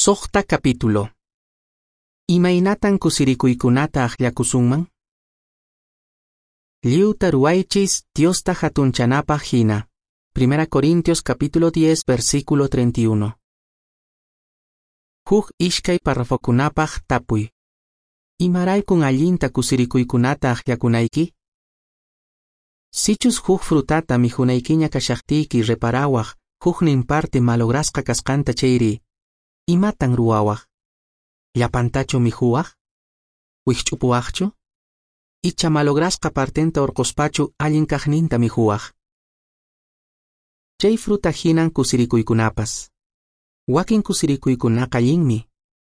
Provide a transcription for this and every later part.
Suqta capítulo. Imaynatan kusirikuykunata akllakusunman? Lliwta ruwaychis Diosta hatunchanapaq hina. 1 Corintios capítulo 10 versículo 31. Huk ishkay parrafokunapaq tapuy. Imaraykun allinta kusirikuykunata akllakunayki? Sichus huk frutata mikhunaykiña kashaqtiyki reparawaq huknin parte malograsqa kasqanta chayri, imatan ruwawaq? Llapantachu mikhuwaq? Wikch'upuwaqchu? Icha malograsqa partenta urquspachu allin kaqninta mikhuwaq? Chay fruta hinan kusirikuykunapas. Wakin kusirikuykunaqa allinmi,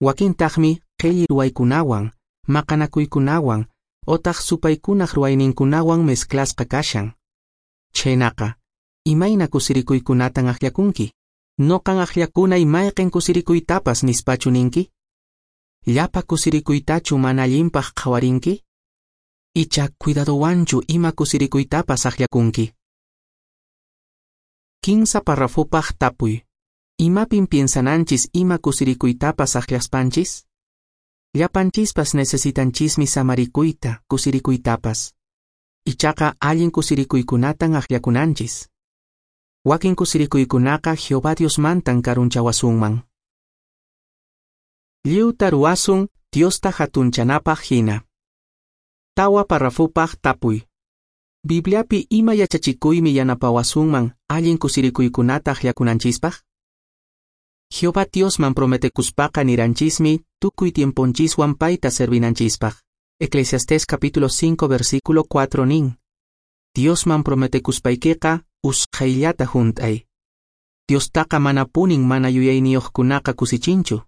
wakintaqmi qhilli ruwaykunawan, maqanakuykunawan, otaq supaykunaq ruwayninkunawan mezclasqa kashan. Chhaynaqa, imayna kusirikuykunatan akllakunki? Noqan akllakunay mayqin kusirikuytapas nispachu ninki? Llapa kusirikuytachu mana allinpaq qhawarinki? Icha cuidadowanchu ima kusirikuytapas akllakunki? Kinsa parrafopaq tapuy. Imapin piensananchis ima kusirikuytapas akllaspanchis? Llapanchispas necesitanchismi samarikuyta, kusirikuytapas. Ichaqa allin kusirikuykunatan akllakunanchis. Wakin kusirikuykunaqa Jehová Diosmantan karunchawasunman. Lliwta ruwasun Diosta hatunchanapaq hina. Tawa parrafopaq tapuy. Bibliapi ima yachachikuymi yanapawasunman allin kusirikuykunata akllakunanchispaq? Jehová Diosman prometekuspaqa niranchismi tukuy tiemponchiswan payta servinanchispaq. Eclesiastés capítulo 5 versículo 4 nin. Diosman prometekuspaykiqa usqhayllata hunt'ay. Diostaqa manapunin mana yuyayniyuqkunaqa kusichinchu.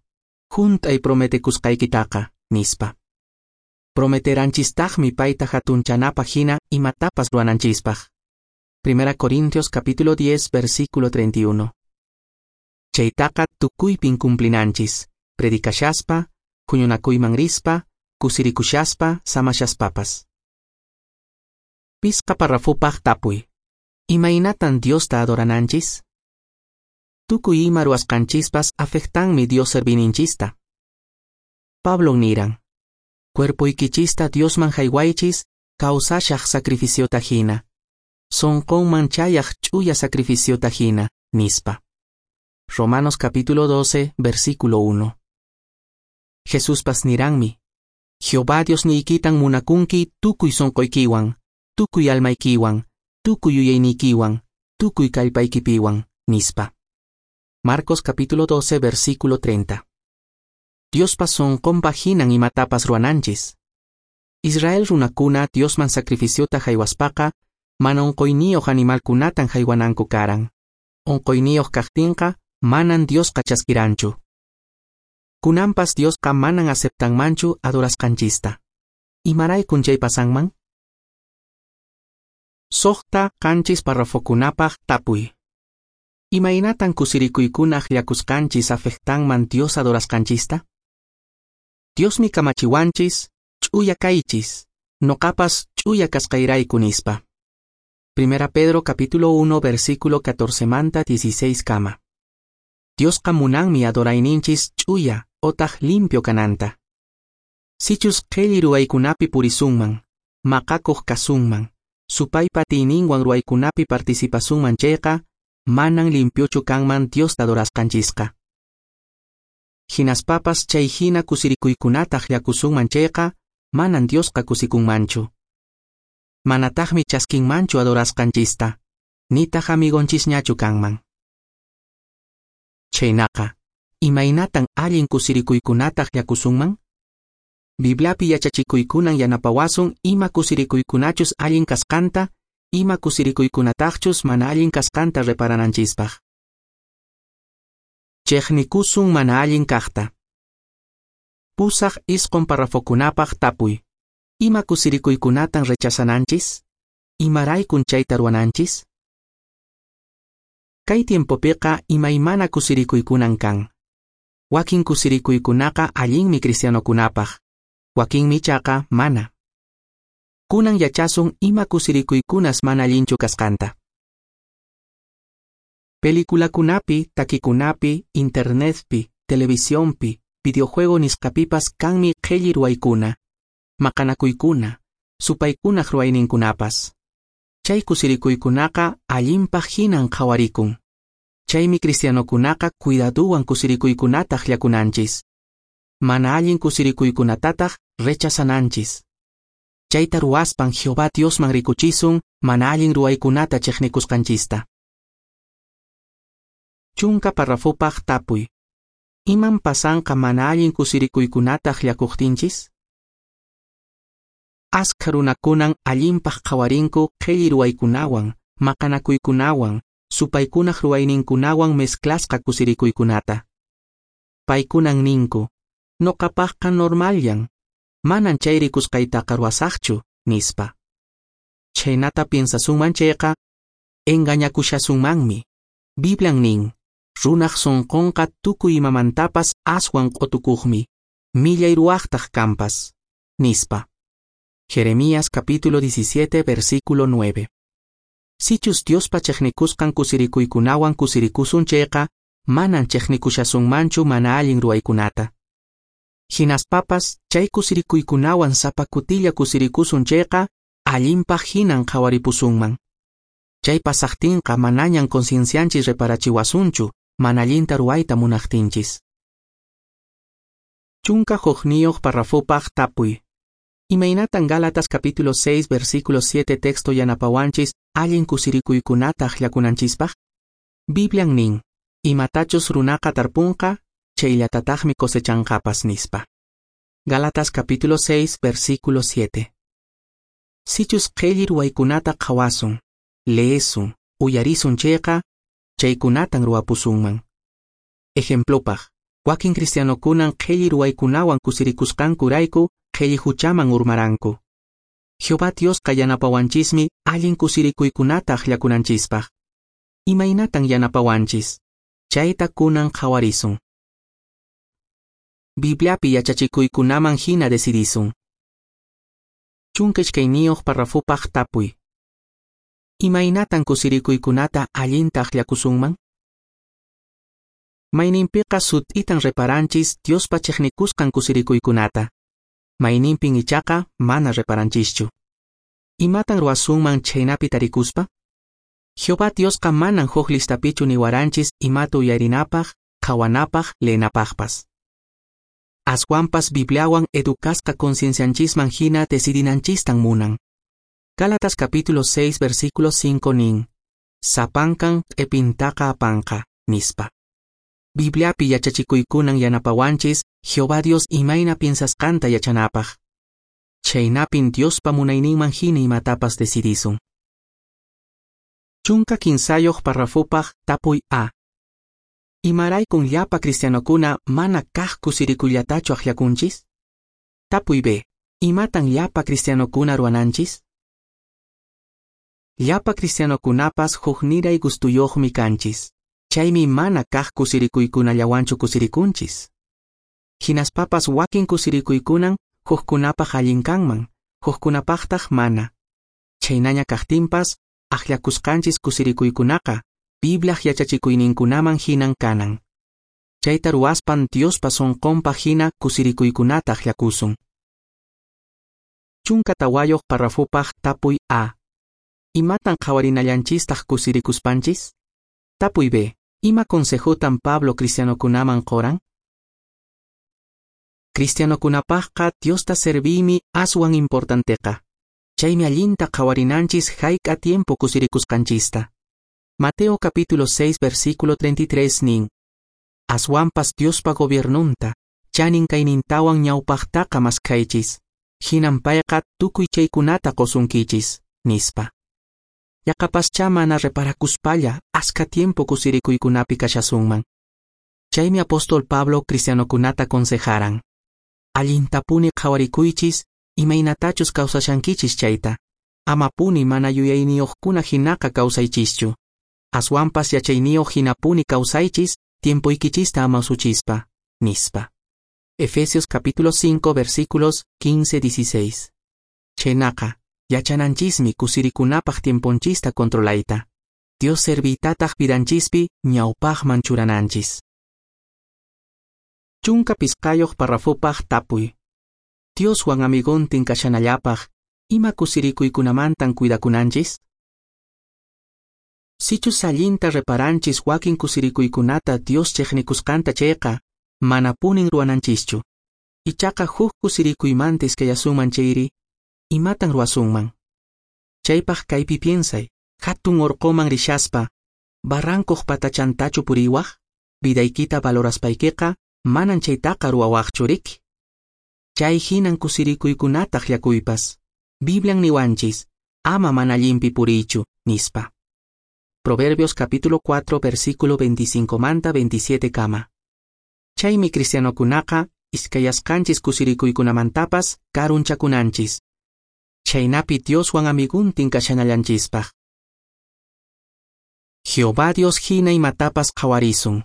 Hunt'ay prometekusqaykitaqa, nispa. Prometeranchistaqmi payta hatunchanapaq hina imatapas ruwananchispaq. 1 Corintios capítulo 10 versículo 31. Chaytaqa tukuypin cumplinanchis, predicashaspa, huñunakuyman rispa, kusirikushaspa, samashaspapas. Pisqa parrafopaq tapuy. Imaynatan Diosta adorananchis? Tukuy ima ruwasqanchispas afectanmi Dios servininchista. Pablo niran, cuerpoykichista Diosman haywaychis kawsashaq sacrificiota hina, sonqonman chayaq ch'uya sacrificiota hina, nispa. Romanos capítulo 12, versículo 1. Jesuspas niranmi, Jehová Diosniykitan munakunki tukuy sonqoykiwan, tukuy almaykiwan, tukuy yuyayniykiwan, tukuy kallpaykipiwan, nispa. Marcos capítulo 12, versículo 30. Diospa sonqonpa hinan imatapas ruwananchis. Israel runakuna Diosman sacrificiota haywaspaqa, mana unquyniyuq animalkunatan haywananku karan. Unquyniyuq kaqtinqa, manan Diosqa chaskiranchu. Kunanpas Diosqa manan aceptanmanchu adorasqanchista. Imaraykun chay pasanman? Suqta qanchis parrafokunapaq tapuy. Imaynatan kusirikuykuna akllakusqanchis afectanman Dios adorasqanchista? Diosmi kamachiwanchis, ch'uya kaychis, noqapas ch'uya kasqayrayku nispa. 1 Pedro capítulo 1 versículo 14 manta 16 kama. Diosqa munanmi adorayninchis ch'uya otaq limpio kananta. Sichus qhilli ruwaykunapi purisunman, maqakuq kasunman, supaypa atiyninwan ruwaykunapi participasunman chayqa, manan limpiochu kanman Diosta adorasqanchisqa. Hinaspapas chay hina kusirikuykunata akllakusunman chayqa, manan Diosqa kusikunmanchu. Manataqmi chaskinmanchu adorasqanchista, nitaq amigonchisñachu kanman. Chhaynaqa, imaynatan allin kusirikuykunata akllakusunman? Bibliapi yachachikuykunan yanapawasun ima kusirikuykunachus allin kasqanta, ima kusirikuykunataqchus mana allin kasqanta reparananchispaq. Chiqnikusun mana allin kaqta. 8 isqun parrafokunapaq tapuy. Ima kusirikuykunatan rechazananchis? Imaraykun chayta ruwananchis? Kay tiempopiqa imaymana kusirikuykunan kan. Wakin kusirikuykunaqa allinmi cristianokunapaq, wakinmi ichaqa mana. Kunan yachasun ima kusirikuykunas mana allinchu kasqanta. Pelikulakunapi, takikunapi, internetpi, televisionpi, videojuego nisqapipas kanmi qhelli ruwaykuna, maqanakuykuna, supaykunaq ruwayninkunapas. Chay kusirikuykunaqa allinpaq hinan qhawarikun. Chaymi cristianokunaqa cuidaduwan kusirikuykunata akllakunanchis. Mana allin kusirikuykunatataq rechazananchis. Chayta ruwaspan Jehová Diosman rikuchisun mana allin ruwaykunata chiqnikusqanchista. Chunka parrafopaq tapuy. Iman pasanqa mana allin kusirikuykunata akllakuqtinchis? Askha runakunan allinpaq qhawarinku qhelli ruwaykunawan, maqanakuykunawan, supaykunaq ruwayninkunawan mezclasqa kusirikuykunata. Paykunan ninku, noqapaqqa normalllan, manan chay rikusqaytaqa ruwasaqchu, nispa. Chhaynata piensasunman chayqa, engañakushasunmanmi. Biblian nin, runaq sunqunqa tukuy imamantapas aswan q'utukuqmi, millay ruwaqtaq kanpas, nispa. Jeremías capítulo 17 versículo 9. Sichus Diospa chiqnikusqan kusirikuykunawan kusirikusun chayqa, manan chiqnikushasunmanchu mana allin ruwaykunata. Hinaspapas chay kusirikuykunawan sapa kutilla kusirikusun chayqa, allinpaq hinan qhawaripusunman. Chay pasaqtinqa manañan conciencianchis reparachiwasunchu, mana allinta ruwayta munaqtinchis. 11 parrafopaq tapuy. Imaynatan Gálatas capítulo 6 versículo 7 texto yanapawanchis allin kusirikuykunata akllakunanchispaq? Biblian nin, imatachus runaqa tarpunqa, chayllatataqmi cosechanqapas nispa. Gálatas capítulo 6 versículo 7. Sichus qhelli ruwaykunata qhawasun, leesun, uyarisun chayqa, chaykunatan ruwapusunman. Ejemplopaq, wakin cristianokunan qhelli ruwaykunawan kusirikusqankurayku qhelli huchaman urmaranku. Jehová Diosqa yanapawanchismi allin kusirikuykunata akllakunanchispaq. Imaynatan yanapawanchis? Chayta kunan qhawarisun. Bibliapi yachachikuykunaman hina decidisun. 12 parrafopaq tapuy. Imaynatan kusirikuykunata allinta akllakusunman? Mayninpiqa sut'itan reparanchis Diospa chiqnikusqan kusirikuykunata. Mayninpin ichaqa mana reparanchischu. Imatan ruwasunman chhaynapi tarikuspa? Jehová Diosqa manan huk listapichu niwaranchis imata uyarinapaq, qhawanapaq, leenapaqpas. Aswanpas Bibliawan educasqa conciencianchisman hina decidinanchistan munan. Gálatas capítulo 6 versículo 5 nin, sapankan q'ipintaqa apanqa, nispa. Bibliapi yachachikuykunan yanapawanchis Jehová Dios imayna piensasqanta yachanapaq. Chhaynapin Diospa munayninman hina imatapas decidisun. 13 parrafopaq tapuy A. Imaraykun llapa cristianokuna mana kaq kusirikuyllatachu akllakunchis? Tapuy B. Imatan llapa cristianokuna ruwananchis? Llapa cristianokunapas hukniray gustuyuqmi kanchis. Chaymi mana kaq kusirikuykunallawanchu kusirikunchis. Hinaspapas wakin kusirikuykunan hukkunapaq allin kanman, hukkunapaqtaq mana. Chhaynaña kaqtinpas, akllakusqanchis kusirikuykunaqa Bibliaq yachachikuyninkunaman hinan kanan. Chayta ruwaspan Diospa sunqunpaq hina kusirikuykunata akllakusun. 14 parrafopaq tapuy A. Imatan qhawarinallanchistaq kusirikuspanchis? Tapuy B. Ima consejotan Pablo cristianokunaman qoran? Cristianokunapaqqa Diosta serviymi aswan importanteqa. Chaymi allinta qhawarinanchis hayk'a tiempo kusirikusqanchista. Mateo capítulo 6 versículo 33 nin, Aswanpas Diospa gobiernunta, chanin kaynintawan ñawpaqtaqa maskhaychis, hinan payqa tukuy chaykunata qosunkichis, nispa. Yaqapaschá mana reparakuspalla askha tiempo kusirikuykunapi kashasunman. Chaymi apóstol Pablo cristianokunata consejaran. Allintapuni qhawarikuychis, imaynatachus kawsashankichis chayta. Amapuni mana yuyayniyuqkuna hinaqa kawsaychischu. Aswanpas yachayniyuq hinapuni kawsaychis, tiempoykichista ama usuchispa, nispa. Efesios capítulo 5 versículos 15-16. Chhaynaqa, yachananchismi kusirikunapaq tiemponchista controlayta. Dios serviytataq vidanchispi ñawpaqman churananchis. 15 parrafopaq tapuy. Dioswan amigontin kashanallapaq, ima kusirikuykunamantan cuidakunanchis? Sichus allinta reparanchis wakin kusirikuykunata Dios chiqnikusqanta chayqa, manapunin ruwananchischu. Ichaqa huk kusirikuymanta iskayasunman chayri, imatan ruwasunman? Chaypaq kaypi piensay, hatun orqoman rishaspa, barrancoq patachantachu puriwaq? Vidaykita valoraspaykiqa, manan chaytaqa ruwawaqchu riki. Chay hinan kusirikuykunata akllakuypas. Biblian niwanchis, ama mana allinpi puriychu, nispa. Proverbios capítulo 4 versículo 25 manta 27 kama. Chaymi cristianokunaqa iskayasqanchis kusirikuykunamantapas karunchakunanchis. Chaynapi Dioswan amiguntin kashanallanchispaq. Jehová Dios hina imatapas qhawarisun.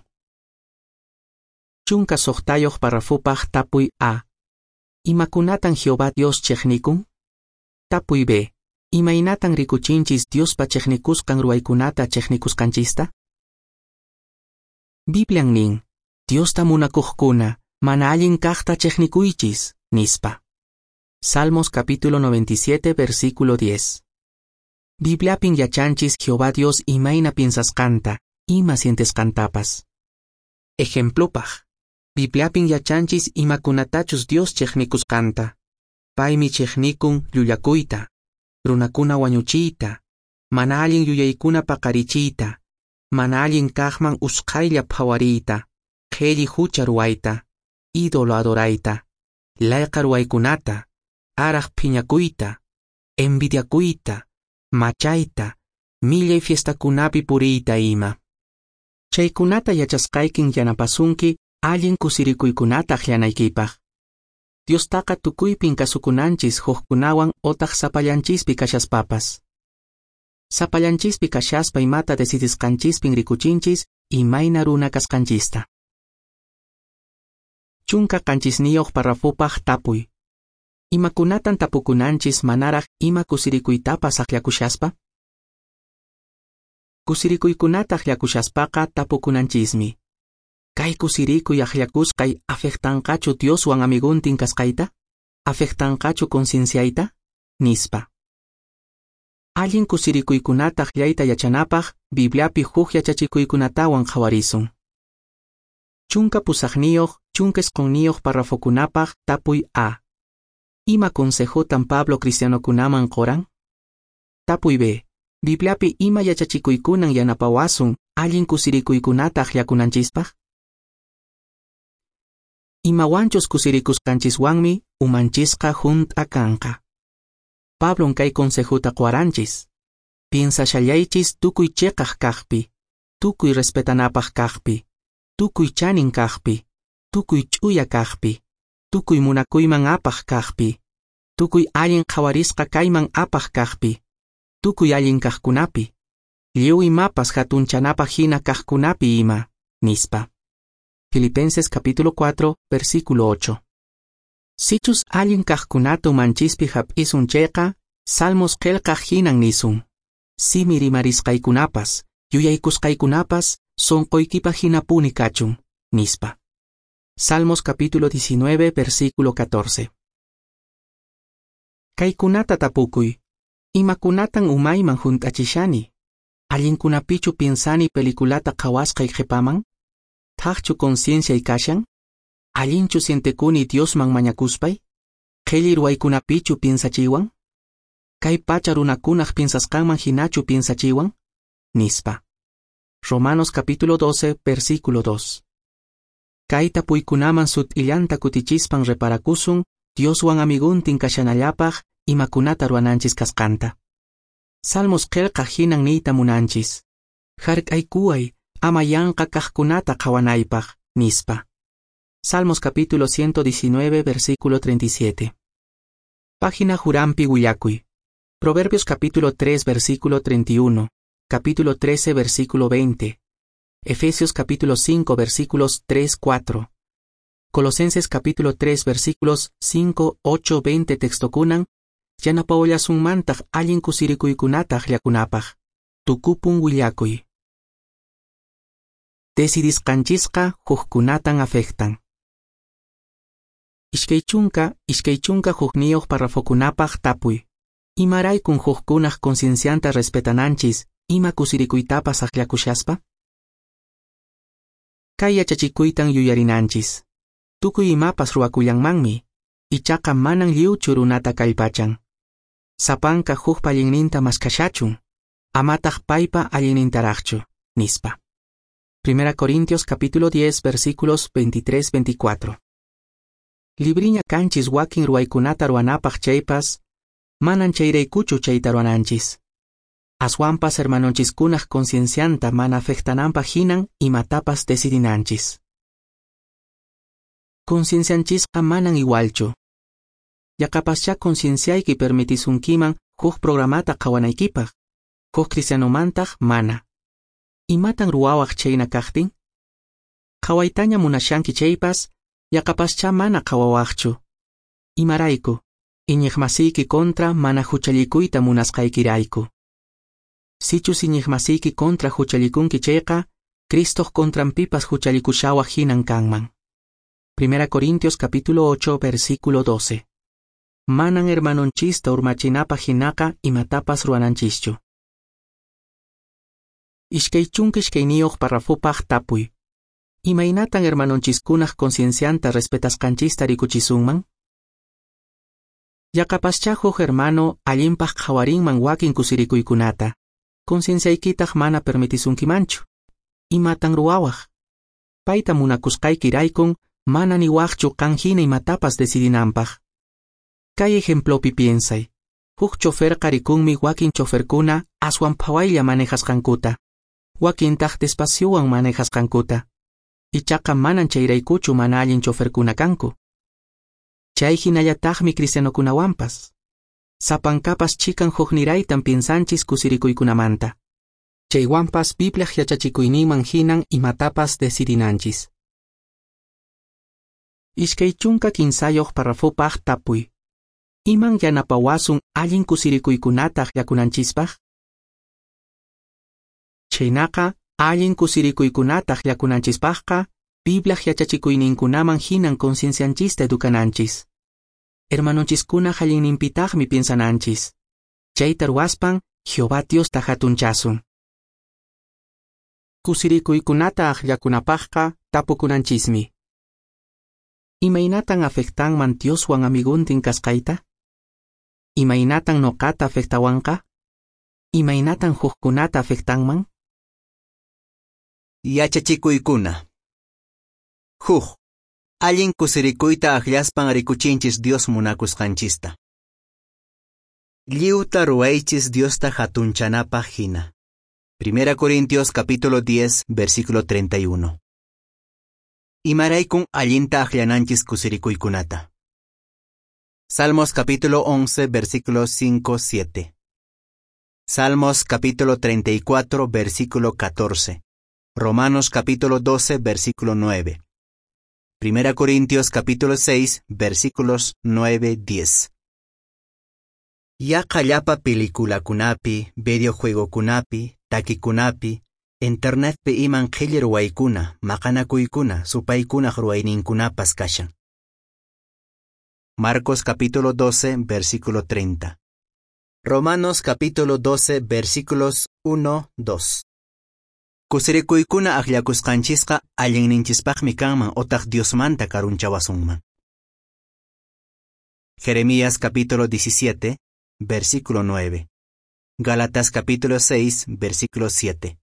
16 parrafopaq tapuy A. Imakunatan Jehová Dios chiqnikun? Tapuy B. Imaynatan rikuchinchis Diospa chiqnikusqan ruwaykunata chiqnikusqanchista? Biblian nin, Diosta munakuqkuna, mana allin kaqta chiqnikuychis, nispa. Salmos capítulo 97, versículo 10. Bibliapin yachanchis Jehová Dios imayna piensasqanta, ima sientesqantapas. Ejemplopaq, Bibliapin yachanchis imakunatachus Dios chiqnikusqanta. Paymi chiqnikun llullakuyta, runakuna wañuchiyta, mana allin yuyaykuna paqarichiyta, mana allin kaqman usqhaylla phawariyta, qhelli hucha ruwayta, ídolo adorayta, layqa ruwaykunata, araq phiñakuyta, envidiakuyta, machayta, millay fiestakunapi puriyta ima. Chaykunata yachasqaykin yanapasunki allin kusirikuykunata akllanaykipaq. Diostaqa tukuypin kasukunanchis hukkunawan otaq sapallanchispi kashaspapas. Sapallanchispi kashaspa imata decidisqanchispin rikuchinchis imayna runa kasqanchista. 17 parrafopaq tapuy. Imakunatan tapukunanchis manaraq ima kusirikuytapas akllakushaspa? Kusirikuykunata akllakushaspaqa tapukunanchismi. Kay kusirikuy akllakusqay afectanqachu Dioswan amiguntin kasqayta? Afectanqachu concienciayta? Nispa. Allin kusirikuykunata akllayta yachanapaq Bibliapi huk yachachikuykunatawan qhawarisun. 18 19 parrafokunapaq tapuy A. Ima consejotan Pablo cristianokunaman qoran? Tapuy B. Bibliapi ima yachachikuykunan yanapawasun allin kusirikuykunata akllakunanchispaq? Imawanchus kusirikusqanchiswanmi umanchisqa hunt'a kanqa. Pablon kay consejuta qowaranchis. Piensashallaychis tukuy chiqaq kaqpi, tukuy respetanapaq kaqpi, tukuy chanin kaqpi, tukuy ch'uya kaqpi, tukuy munakuyman apaq kaqpi, tukuy allin qhawarisqa kayman apaq kaqpi, tukuy allin kaqkunapi, lliw imapas hatunchanapaq hina kaqkunapi ima, nispa. Filipenses capítulo 4, versículo 8. Sichus allin kaqkunata umanchispi hap'isun chayqa, Salmos qillqaq hinan nisun. Simi rimarisqaykunapas, yuyaykusqaykunapas, sonqoykipaq hinapuni kachun, nispa. Salmos capítulo 19, versículo 14. Kaykunata tapukuy. Imakunatan umayman hunt'achishani? Allinkunapichu piensani peliculata qhawasqay qhipaman? Thaqchu concienciay kashan? Allinchu sientekuni Diosman mañakuspay? Qhelli ruwaykunapichu piensachiwan? Kay pacha runakunaq piensasqanman hinachu piensachiwan? Nispa. Romanos capítulo 12, versículo 2. Kay tapuykunaman sut'illanta kutichispan reparakusun Dioswan amiguntin kashanallapaq imakunata ruwananchis kasqanta. Salmos qillqaq hinan niyta munanchis. Hark'aykuway ama yanqa kaqkunata qhawanaypaq, nispa. Salmos capítulo 119, versículo 37. Página Jurampi willakuy. Proverbios capítulo 3, versículo 31, capítulo 13, versículo 20. Efesios capítulo 5, versículos 3, 4. Colosenses capítulo 3, versículos 5, 8, 20 textokunan, yanapawallasunmantaq allin kusirikuykunata akllakunapaq. Tukupun willakuy. Decidisqanchisqa hukkunatan afectan. 20, 21 parrafokunapaq tapuy. Imaraykun hukkunaq conciencianta respetananchis ima kusirikuytapas akllakushaspa? Kay yachachikuytan yuyarinanchis. Tukuy imapas ruwakullanmanmi, ichaqa manan lliwchu runata kallpachan. Sapanka hukpa allinninta maskashachun, amataq paypa allinnintaraqchu, nispa. 1 Corintios capítulo 10 versículos 23-24. Libriña kanchis wakin ruwaykunata ruwanapaq chaypas, manan chayraykuchu chayta ruwananchis. Aswanpas hermanonchiskunaq conciencianta mana afectananpaq hinan imatapas decidinanchis. Conciencianchisqa manan igualchu. Yaqapaschá concienciayki permitisunkiman huk programata qhawanaykipaq, huk cristianomantaq mana. Imatan ruwawaq chayna kaqtin? Qhawaytaña munashanki chaypas, yaqapaschá mana qhawawaqchu. Imarayku, iñiqmasiyki contra mana huchallikuyta munasqaykirayku. Sichus iñiqmasiyki contra huchallikunki chayqa, Cristoq contranpipas huchallikushawaq hinan kanman. 1 Corintios capítulo 8 versículo 12. Manan hermanonchista urmachinapaq hinaqa imatapas ruwananchischu. 22 parrafopaq tapuy. Imaynatan hermanonchiskunaq conciencianta respetasqanchista rikuchisunman? Yaqapaschá huk hermano allinpaq qhawarinman wakin kusirikuykunata, concienciaykitaq mana permitisunkimanchu. Imatan ruwawaq? Payta munakusqaykiraykun mana niwaqchu qan hina imatapas decidinanpaq. Kay ejemplopi piensay. Huk choferqa rikunmi wakin choferkuna aswan phawaylla manejasqankuta, wakintaq despaciowan manejasqankuta. Ichaqa manan chayraykuchu mana allin choferkuna kanku. Chay hinallataqmi cristianokunawanpas. Sapankapas chikan hukniraytan piensanchis kusirikuykunamanta. Chaywanpas Bibliaq yachachikuyninman hinan imatapas decidinanchis. 23 parrafopaq tapuy. Iman yanapawasun allin kusirikuykunata akllakunanchispaq? Chaynaqa allin kusirikuykunata akllakunanchispaqqa Bibliaq yachachikuyninkunaman hinan conciencianchista educananchis. Hermanonchiskunaq allinninpitaqmi piensananchis. Chayta ruwaspan Jehová Diosta hatunchasun. Kusirikuykunata akllakunapaqqa tapukunanchismi. Imaynatan afectanman Dioswan amiguntin kasqayta? Imaynatan noqata afectawanqa? Imaynatan hukkunata afectanman? Yachachikuykuna. Huk. Allin kusirikuyta akllaspan rikuchinchis Dios munakusqanchista. Lliwta ruwaychis Diosta hatunchanapaq hina. 1 Corintios capítulo 10, versículo 31. Imaraykun allinta akllananchis kusirikuykunata. Salmos capítulo 11, versículos 5, 7. Salmos capítulo 34, versículo 14. Romanos capítulo 12, versículo 9. 1 Corintios capítulo 6, versículos 9, 10. Yaqa llapa peliculakunapi, videojuegokunapi, takikunapi, internetpi iman qhilli ruwaykuna, maqanakuykuna, supaykunaq ruwayninkunapas kashan. Marcos capítulo 12, versículo 30. Romanos capítulo 12, versículos 1, 2. Kusirikuykuna akllakusqanchisqa allinninchispaqmi kanman otaq Diosmanta karunchawasunman. Jeremías capítulo 17, versículo 9. Gálatas capítulo 6, versículo 7.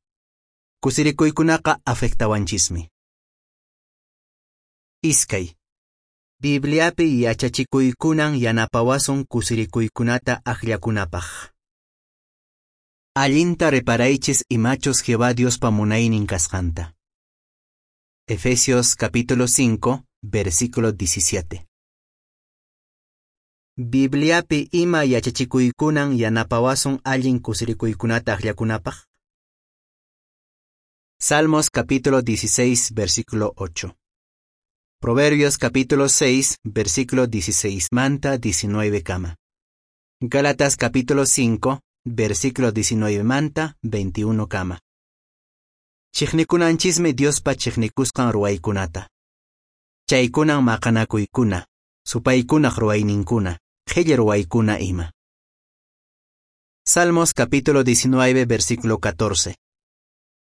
Kusirikuykunaqa afectawanchismi. Iskay. Bibliapi yachachikuykunan yanapawasun kusirikuykunata akllakunapaq. Allinta reparaychis imachus Jehová Diospa munaynin kasqanta. Efesios capítulo 5, versículo 17. Bibliapi ima yachachikuykunan yanapawasun allin kusirikuykunata akllakunapaq. Salmos capítulo 16, versículo 8. Proverbios capítulo 6, versículo 16 manta 19 kama. Gálatas capítulo 5, versículo 19 manta 21 kama. Chiqnikunanchismi Diospa chiqnikusqan ruwaykunata. Chaykunan maqanakuykuna, Supaykunaq ruwayninkuna, qhilli ruwaykuna ima. Salmos capítulo 19, versículo 14.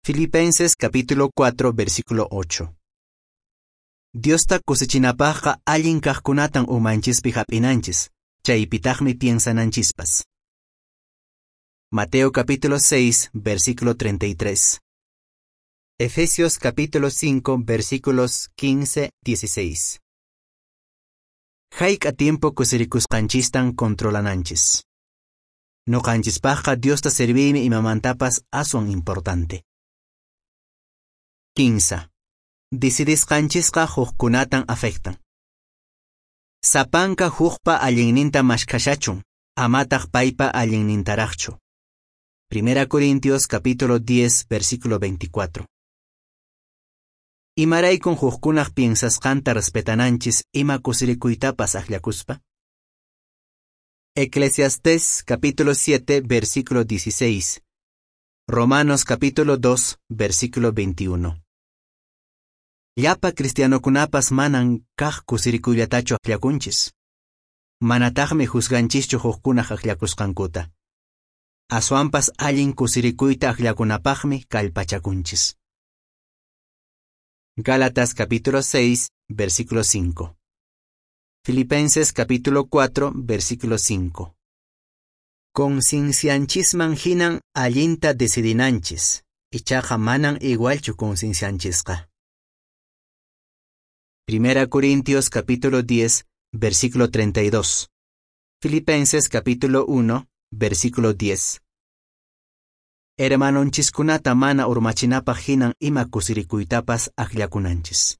Filipenses capítulo 4, versículo 8. Diosta kusichinapaqqa allin kaqkunatan umanchispi hap'inanchis, chaypitaqmi piensananchispas. Mateo capítulo 6, versículo 33. Efesios capítulo 5, versículos 15, 16. Hayk'a tiempo kusirikusqanchistan controlananchis. Noqanchispaqqa Diosta serviymi imamantapas aswan importante. 15. Decidisqanchisqa hukkunatan afectan. Sapanka hukpa allinninta maskhashachun, amataq paypa allinnintaraqchu. Primera Corintios capítulo 10, versículo 24. Imaraykun hukkunaq piensasqanta respetananchis ima kusirikuytapas akllakuspa? Eclesiastés capítulo 7, versículo 16. Romanos capítulo 2, versículo 21. Llapa cristianokunapas manan kaq kusirikuyllatachu akllakunchis. Manataqmi juzganchischu hukkunaq akllakusqankuta. Aswanpas allin kusirikuyta akllakunapaqmi kallpachakunchis. Gálatas capítulo 6, versículo 5. Filipenses capítulo 4, versículo 5. Conciencianchisman hinan allinta decidinanchis, ichaqa manan igualchu conciencianchisqa. Primera Corintios capítulo 10, versículo 32. Filipenses capítulo 1, versículo 10. Hermanonchiskunata mana urmachinapaq hinan ima kusirikuytapas akllakunanchis.